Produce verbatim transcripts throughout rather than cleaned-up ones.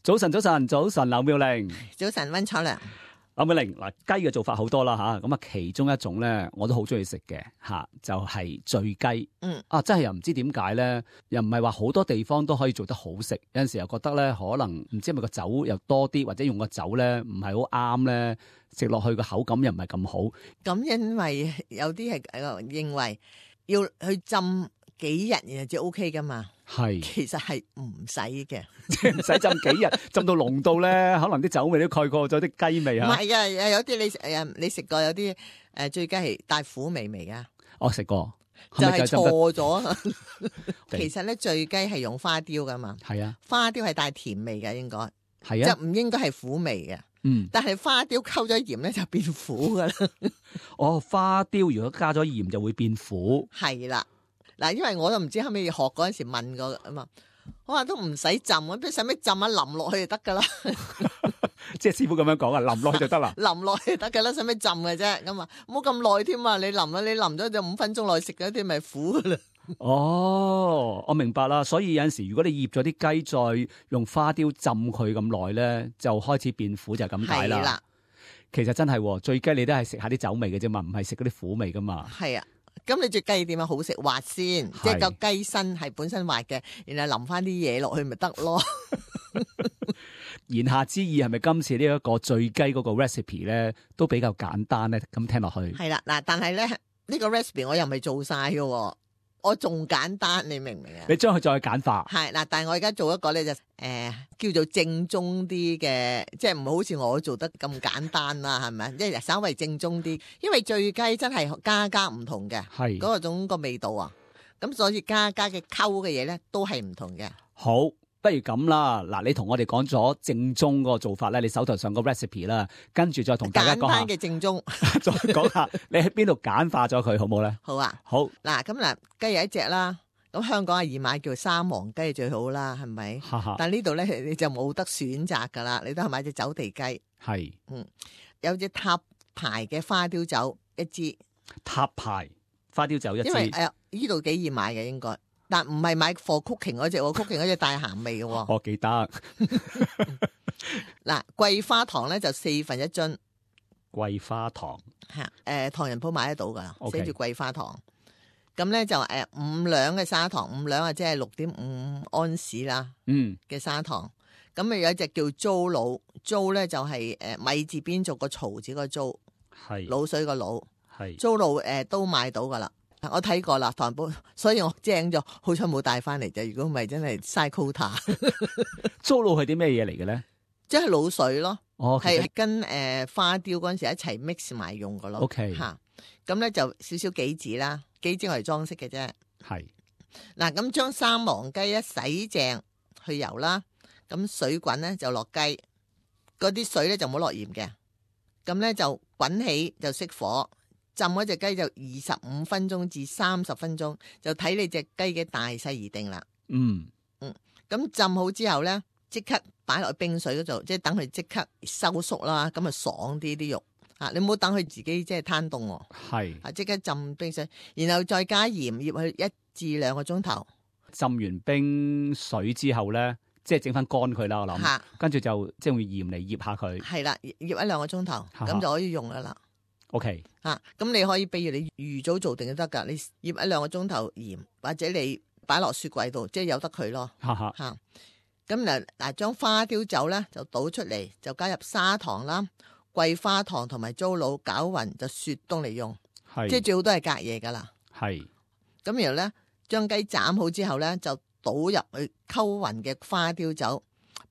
早晨，早晨，早晨，劉妙玲。早晨，溫楚良。劉妙玲，嗱，雞嘅做法好多啦吓，咁啊其中一種咧，我都好中意食嘅吓，就係醉雞。嗯，啊，真係又唔知點解咧，又唔係話好多地方都可以做得好食，有陣時又覺得咧，可能唔知係咪個酒又多啲，或者用個酒咧唔係好啱咧，食落去個口感又唔係咁好。咁因為有啲係誒認為要去浸幾日然後就 O K 噶嘛。係，其實係唔使嘅，即係唔使浸幾日，浸到濃到咧，可能啲酒味都蓋過咗啲雞味嚇。唔係噶，有啲你誒你食過有啲誒醉雞係帶苦味味噶。我食過，就係錯咗。其實咧醉雞係用花雕噶嘛。係啊，花雕係帶甜味嘅，應該係啊，就唔應該係苦味嘅。嗯，但係花雕溝咗鹽咧就變苦噶啦。哦，花雕如果加咗鹽就會變苦。係啦。嗱，因為我都唔知後尾學嗰陣時問過啊嘛，我話都唔使浸，我邊使咩浸啊，淋落去就得噶啦。即係師傅咁樣講啊，淋落去就得啦。淋落去就得噶啦，使咩浸嘅啫？咁啊，唔好咁耐添啊！你淋啊，你淋咗就五分鐘內食嗰啲咪苦噶啦。哦，我明白啦。所以有陣時如果你醃咗啲雞，再用花雕浸佢咁耐咧，就開始變苦就係咁解啦。係啦，其實真係醉雞你都係食下啲酒味嘅啫嘛，唔係食嗰啲苦味噶嘛。係啊。咁你隻雞點樣好食滑先？即係個雞身係本身滑嘅，然後淋翻啲嘢落去咪得咯。言下之意係咪今次呢一個醉雞嗰個 recipe 咧都比較簡單咧？咁聽落去係啦，嗱，但係咧呢、呢個 recipe 我又未做晒嘅，我仲簡單，你明唔明啊？你將佢再簡化係嗱，但係我而家做一個咧就誒、呃、叫做正宗啲嘅，即係唔好似我做得咁簡單啦，係咪？即係稍微正宗啲，因為醉雞真係家家唔同嘅，係嗰個種個味道啊，咁所以家家嘅溝嘅嘢咧都係唔同嘅。好，不如咁啦，嗱，你同我哋講咗正宗嗰個做法咧，你手頭上個 recipe 啦，跟住再同大家講下簡單嘅正宗，再講下你喺邊度簡化咗佢，好唔好咧？好啊，好。嗱，咁嗱，雞有一隻啦。咁香港係易買叫三黃雞最好啦，係咪？但呢度咧你就冇得選擇噶啦，你都係買隻走地雞。係，嗯，有隻塔牌嘅花雕酒一支。塔牌花雕酒一支。因為誒呢度幾易買嘅應該，但唔係買for cooking嗰隻，cooking 嗰隻帶鹹味嘅。我記得。嗱，桂花糖咧就四分一樽。桂花糖。吓，誒、呃，唐人鋪買得到噶，寫住 Okay. 桂花糖。咁咧就誒五兩嘅砂糖，五兩啊即係六點五安士啦，嗯嘅砂糖。咁啊有一隻叫糟滷，糟咧就係誒米字邊做個曹字個糟，係滷水個滷，係糟滷誒都買到噶啦。我睇過啦，唐人鋪，所以我精咗，好彩冇帶翻嚟啫。如果唔係真係嘥 quota。糟滷係啲咩嘢嚟嘅咧？即係滷水咯，哦，係跟誒、呃、花雕嗰陣時一齊 mix 埋用噶咯。OK，吓咁咧就少少杞子啦。幾支我嚟裝飾嘅啫，係嗱咁將三黃雞一洗淨去油啦，咁水滾咧就落雞，嗰啲水咧就唔好落鹽嘅，咁咧就滾起就熄火，浸嗰隻雞就二十五分鐘至三十分鐘，就睇你隻雞嘅大細而定啦。嗯嗯，咁浸好之後咧，即刻擺落去冰水嗰度，即係等佢即刻收縮啦，咁啊爽啲啲肉。啊！你唔好等佢自己即係攤凍喎，係啊，即刻浸冰水，然後再加鹽醃佢一至兩個鐘頭。浸完冰水之後咧，即係整翻乾佢啦，我諗。跟住就即係用鹽嚟醃下佢。係啦，醃一兩個鐘頭，咁就可以用噶啦。OK。啊，咁你可以，比如你預早做定都得噶，你醃一兩個鐘頭鹽，或者你擺落雪櫃度，即係由得佢咯。吓吓。吓，咁嗱嗱，將花雕酒咧就倒出嚟，就加入砂糖啦。桂花糖同埋糟滷攪勻就雪凍嚟用，即係最好都係隔夜噶啦。係咁，然後咧將雞斬好之後咧，就倒入去溝勻嘅花雕酒，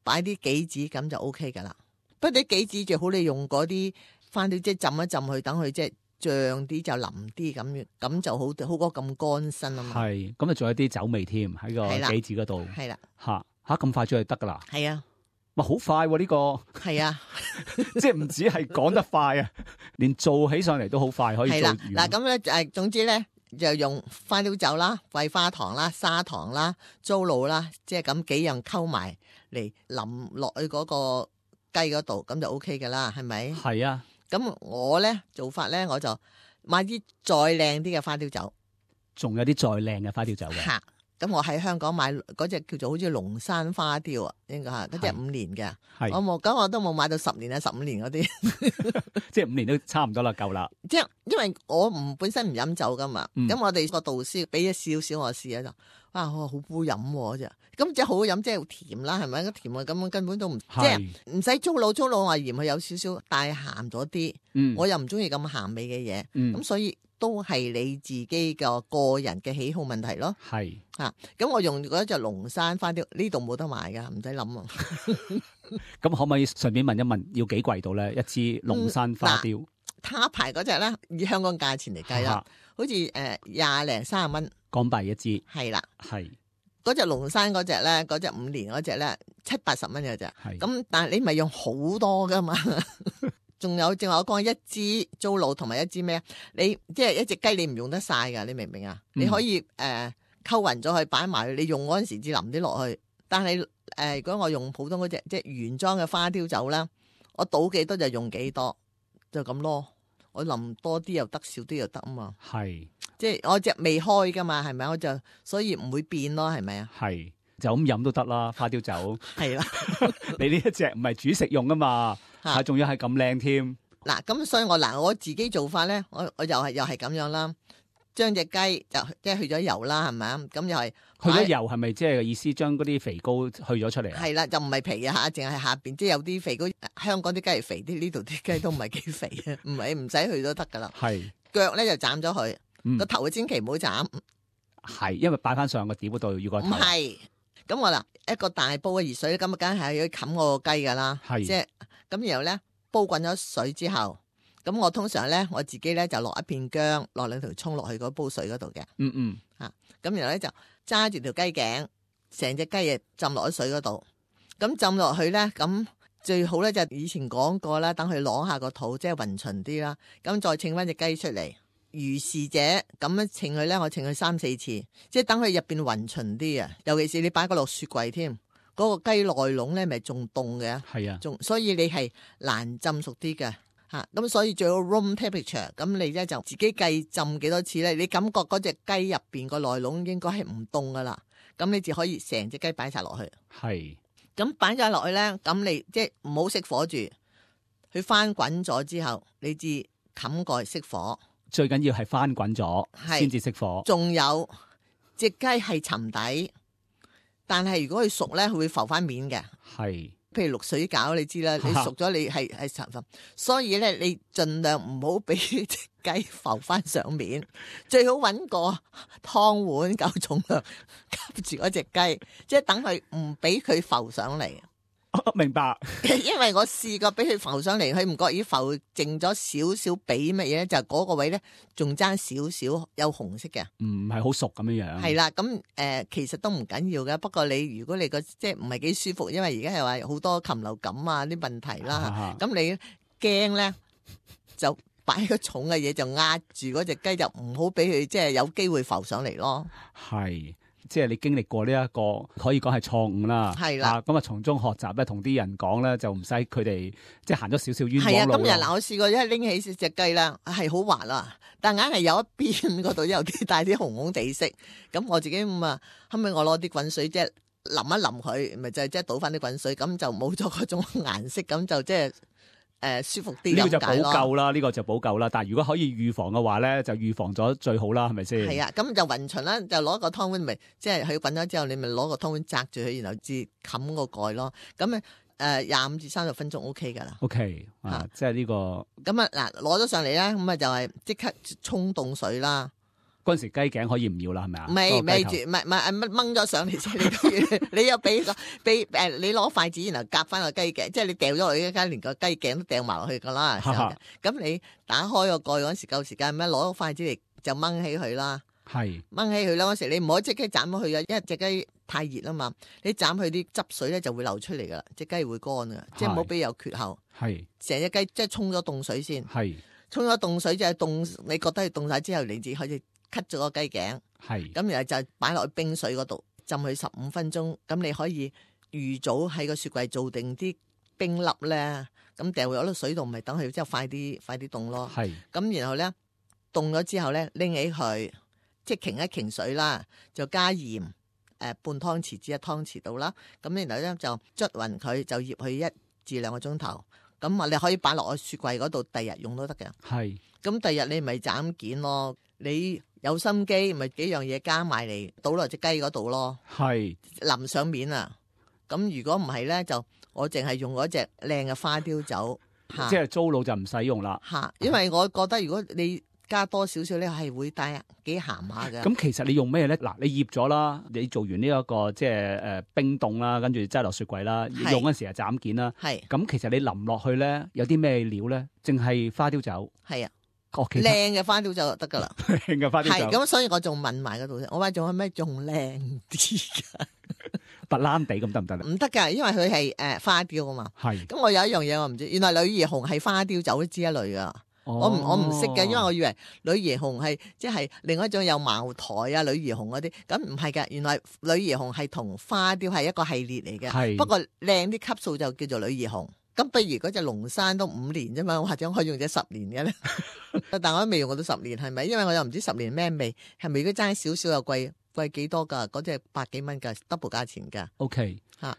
擺啲杞子咁就 O K 噶啦。不過啲杞子最好你用嗰啲花雕，即係浸一浸佢，等佢即係脹啲就腍啲咁，咁就好好過咁乾身啊嘛。係咁啊，仲有啲酒味添喺個杞子嗰度。係啦，吓吓咁快出去得噶啦。係啊。哇，好快喎！呢個係啊，即係唔止係講得快啊，連做起上嚟都好快，可以做完。係啦，嗱咁咧誒，總之咧就用花雕酒啦、桂花糖啦、砂糖啦、糟滷啦，即係咁幾樣溝埋嚟淋落去嗰個雞嗰度，咁就 O K 噶啦，係咪？係啊。咁我咧做法咧，我就買啲再靚啲嘅花雕酒，仲有啲再靚嘅花雕酒嘅。吓，咁我喺香港買嗰隻叫做好似龍山花雕啊，應該係嗰隻五年嘅，我冇，咁我都冇買到十年啊十五年嗰啲，即係五年都差唔多啦，夠啦。即係因為我唔本身唔飲酒噶嘛，咁、嗯、我哋個導師俾咗少少我試啊，就哇好好飲喎啫，咁即係好飲，即係甜啦，係咪？甜啊咁根本都唔即係唔使粗魯，粗魯我嫌佢有少少帶鹹咗啲，我又唔中意咁鹹味嘅嘢，咁、嗯、所以。都係你自己個個人嘅喜好問題咯。係啊，咁我用嗰隻龍山花雕，呢度冇得賣噶，唔使諗啊。咁可唔可以順便問一問，要幾貴到咧？一支龍山花雕，他牌嗰隻咧，以香港價錢嚟計啦，好似誒廿零三十蚊港幣一支。係啦，係嗰隻龍山嗰隻咧，嗰隻五年嗰隻咧，七八十蚊嘅啫。係咁，但係你咪用好多噶嘛。仲有正話我講一支糟滷同埋一支咩？你即係一隻雞，你唔用得晒噶，你明唔明啊？嗯、你可以誒溝勻咗去擺埋，你用嗰陣時至淋啲落去。但係誒、呃，如果我用普通嗰隻即係原裝嘅花雕酒啦，我倒幾多就用幾多，就咁咯。我淋多啲又得，少啲又得啊嘛。係，即係我隻未開噶嘛，係咪？我就所以唔會變咯，係咪啊？係，就咁飲都得啦，花雕酒。係啦，你呢一隻唔係煮食用噶嘛？啊，仲要係咁靚添。嗱，咁所以我嗱我自己做法咧，我我又係又係咁樣啦。將隻雞就即係去咗油啦，係咪啊？咁又係去咗油，係咪即係意思將嗰啲肥膏去咗出嚟啊？係啦，就唔係皮啊吓，淨係下邊，即係有啲肥膏。香港啲雞係肥啲，呢度啲雞都唔係幾肥嘅，唔係唔使去都得噶啦。係腳咧就斬咗佢，個、嗯、頭千祈唔好斬。係，因為擺翻上個碟嗰度要個頭。唔係，咁我嗱一個大煲嘅熱水，咁啊梗係要冚我個雞噶啦。係，即係。咁然後咧煲滾咗水之後，咁我通常咧我自己咧就落一片薑，落兩條蔥落去嗰煲水嗰度嘅。嗯嗯。吓、啊，咁然後咧就揸住條雞頸，成隻雞翼浸落喺水嗰度。咁浸落去咧，咁最好咧就以前講過啦，等佢攞下個肚，即係勻勻啲啦。咁再稱翻隻雞出嚟，如是者咁樣稱佢咧，我稱佢三四次，即係等佢入邊勻勻啲啊。尤其是你擺個落雪櫃添。嗰、那個雞內籠咧，咪仲凍嘅，係啊，仲所以你係難浸熟啲嘅嚇。咁、啊、所以最好 room temperature。咁你咧就自己計浸幾多次咧？你感覺嗰隻雞入邊個內籠應該係唔凍噶啦。咁你就可以成隻雞擺晒落去。係。咁擺晒落去咧，咁你即係唔好熄火住，佢翻滾咗之後，你至冚蓋熄火。最緊要係翻滾咗先至熄火。仲有隻雞係沉底。但係如果佢熟咧，佢會浮翻面嘅。係，譬如淥水餃，你知啦，你熟咗你係係沉浮，所以咧你盡量唔好俾隻雞浮翻上面，最好搵個湯碗夠重量夾住嗰隻雞，即係等佢唔俾佢浮上嚟。明白，因為我試過俾佢浮上嚟，佢唔覺意浮淨咗少少，俾乜嘢咧？就嗰個位咧，仲爭少少有紅色嘅，唔係好熟咁樣樣。係啦，咁誒、呃，其實都唔緊要嘅。不過你如果你個即係唔係幾舒服，因為而家係話好多禽流感啊啲問題啦，咁你驚咧就擺個重嘅嘢就壓住嗰隻雞，就唔好俾佢即係有機會浮上嚟咯。係。即係你經歷過呢一個可以講係錯誤啦，係啦，咁啊從中學習咧，同啲人講咧就唔使佢哋即係行咗少少冤枉路。係啊，今日嗱我試過一拎起隻雞啦，係好滑啦，但硬係有一邊嗰度有啲帶啲紅紅地色，咁我自己咁啊，後尾我攞啲滾水即係淋一淋佢，咪就係即係倒翻啲滾水，咁就冇咗嗰種顏色，咁就即係。誒、呃，舒服啲，呢個就補救啦，呢、這個就補救啦。但係如果可以預防嘅話咧，就預防咗最好啦，係咪先？係啊，咁就勻循啦，就攞個湯碗，咪即係佢滾咗之後，你咪攞個湯碗擲住佢，然後至冚個蓋咯。咁誒廿五至三十分鐘 O K 噶啦。O K 啊，即係呢個。咁啊嗱，攞咗上嚟啦，咁啊就係即刻沖凍水啦。嗰陣時雞頸可以唔要啦，係咪啊？未未住，唔係唔係掹咗上嚟先，你都要，你又俾個俾誒，你攞筷子然後夾翻個雞頸，即係你掉咗落去一間，連個雞頸都掉埋落去噶啦。咁你打開個蓋嗰陣時夠時間咩？攞個筷子嚟就掹起佢啦。係掹起佢啦，嗰時你唔可以即刻斬咗佢啊，因為隻雞太熱啊嘛。你斬佢啲汁水咧就會流出嚟噶啦，隻雞會乾噶，即係唔好俾有缺口。係成隻雞即係沖咗凍水先。係沖咗凍水即係凍，你覺得佢凍晒之後，你至開始。cut 咗個雞頸，係咁然後就擺落去冰水嗰度浸佢十五分鐘，咁你可以預早喺個雪櫃做定啲冰粒咧，咁掉入落水度，咪等佢之後快啲快啲凍咯。係咁然後咧凍咗之後咧拎起佢，即係擎一擎水啦，就加鹽半湯匙至一湯匙到啦。咁然後咧就捽勻佢，就醃佢一至兩個鐘頭。咁啊，你可以擺落個雪櫃嗰度，第日用都得嘅。係。咁第日你咪斬件咯。你有心機，咪幾樣嘢加埋嚟倒落隻雞嗰度咯。係。淋上面啊。咁如果唔係咧，就我淨係用嗰隻靚嘅花雕酒。即係糟老就唔使用啦。嚇，因為我覺得如果你加多少少咧，係會帶幾鹹下嘅。咁其實你用咩咧？嗱，你醃咗啦，你做完呢、這、一個即係誒冰凍啦，跟住擠落雪櫃啦，用嗰陣時係斬件啦。係。咁其實你淋落去咧，有啲咩料咧？淨係花雕酒。係啊。靚嘅花雕酒就得㗎啦。靚嘅花雕酒。係咁，所以我仲問埋嗰度先，我話仲有咩仲靚啲㗎？白蘭地咁得唔得咧？唔得㗎，因為佢係誒花雕啊嘛。係。咁我有一樣嘢我唔知，原來女兒紅係花雕酒之一類㗎。哦、我唔我唔識嘅，因為我以為女兒紅係即係另外一種有茅台啊、女兒紅嗰啲，咁唔係㗎。原來女兒紅係同花雕係一個系列嚟嘅。係。不過靚啲級數就叫做女兒紅。咁不如嗰隻龍山都五年啫嘛，或者可以用隻十年嘅咧？但我都未用過到十年，係咪？因為我又唔知十年咩味，係咪如果爭少少又貴貴幾多㗎？嗰隻百幾蚊㗎 double 價錢㗎。O K 嚇。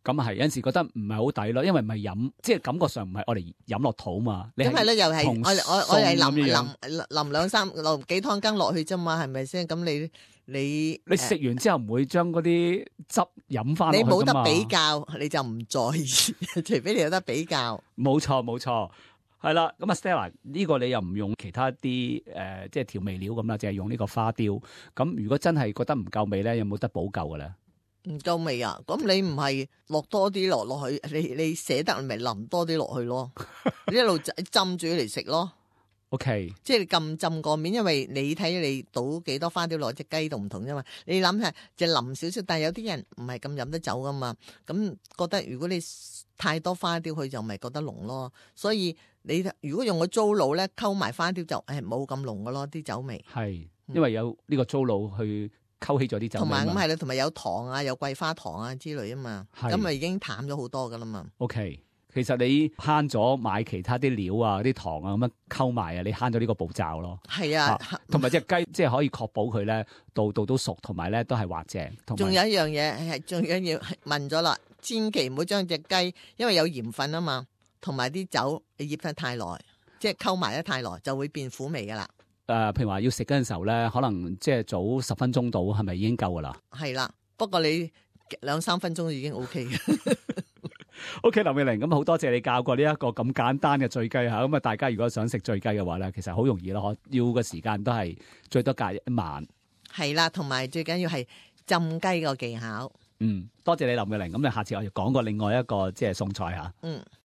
咁啊係，有陣時覺得唔係好抵咯，因為唔係飲，即係感覺上唔係我哋飲落肚嘛。咁係咧，又係我我我係淋淋淋兩三落幾湯羹落去啫嘛，係咪先？咁你你你食完之後唔會將嗰啲汁飲翻落去㗎嘛？你冇得比較，你就唔在意，除非你有得比較。冇錯冇錯，係啦。咁啊 Stella 呢個你又唔用其他啲誒、呃，即係調味料咁啦，淨係用呢個花雕。咁如果真係覺得唔夠味咧，有冇得補救㗎咧？唔夠味啊！咁你唔係落多啲落落去，你你捨得咪淋多啲落去咯？你一路浸住嚟食咯。O K， 即係你咁浸個面，因為你睇你倒幾多花雕落隻雞度唔同啫嘛。你諗下就淋少少，但係有啲人唔係咁飲得酒噶嘛。咁覺得如果你太多花雕，佢就咪覺得濃咯。所以你如果用個糟卤咧，溝埋花雕就誒冇咁濃噶咯，啲酒味。係，因為有呢個糟卤去。溝起咗啲酒，同埋咁係啦，同埋有糖啊，有桂花糖啊之類啊嘛，咁咪已經淡咗好多噶啦嘛。O、okay, K， 其實你慳咗買其他啲料啊、啲糖啊咁樣溝埋啊，你慳咗呢個步驟咯。係啊，同埋隻雞即係可以確保佢咧度度都熟，同埋咧都係滑淨。仲有一樣嘢係，仲有要問咗啦，千祈唔好將隻雞，因為有鹽分啊嘛，同埋啲酒你醃得太耐，即係溝埋得太耐就會變苦味噶啦。誒、呃，譬如話要食嗰陣時候咧，可能即係早十分鐘到，係咪已經夠噶啦？係啦，不過你兩三分鐘已經 O K 嘅。O K， 林美玲，咁好多謝你教過呢一個咁簡單嘅醉雞吓，咁啊大家如果想食醉雞嘅話咧，其實好容易咯，要嘅時間都係最多隔一晚。係啦，同埋最緊要係浸雞個技巧。嗯，多謝你林美玲，咁你下次我要講過另外一個即係餸菜吓。嗯。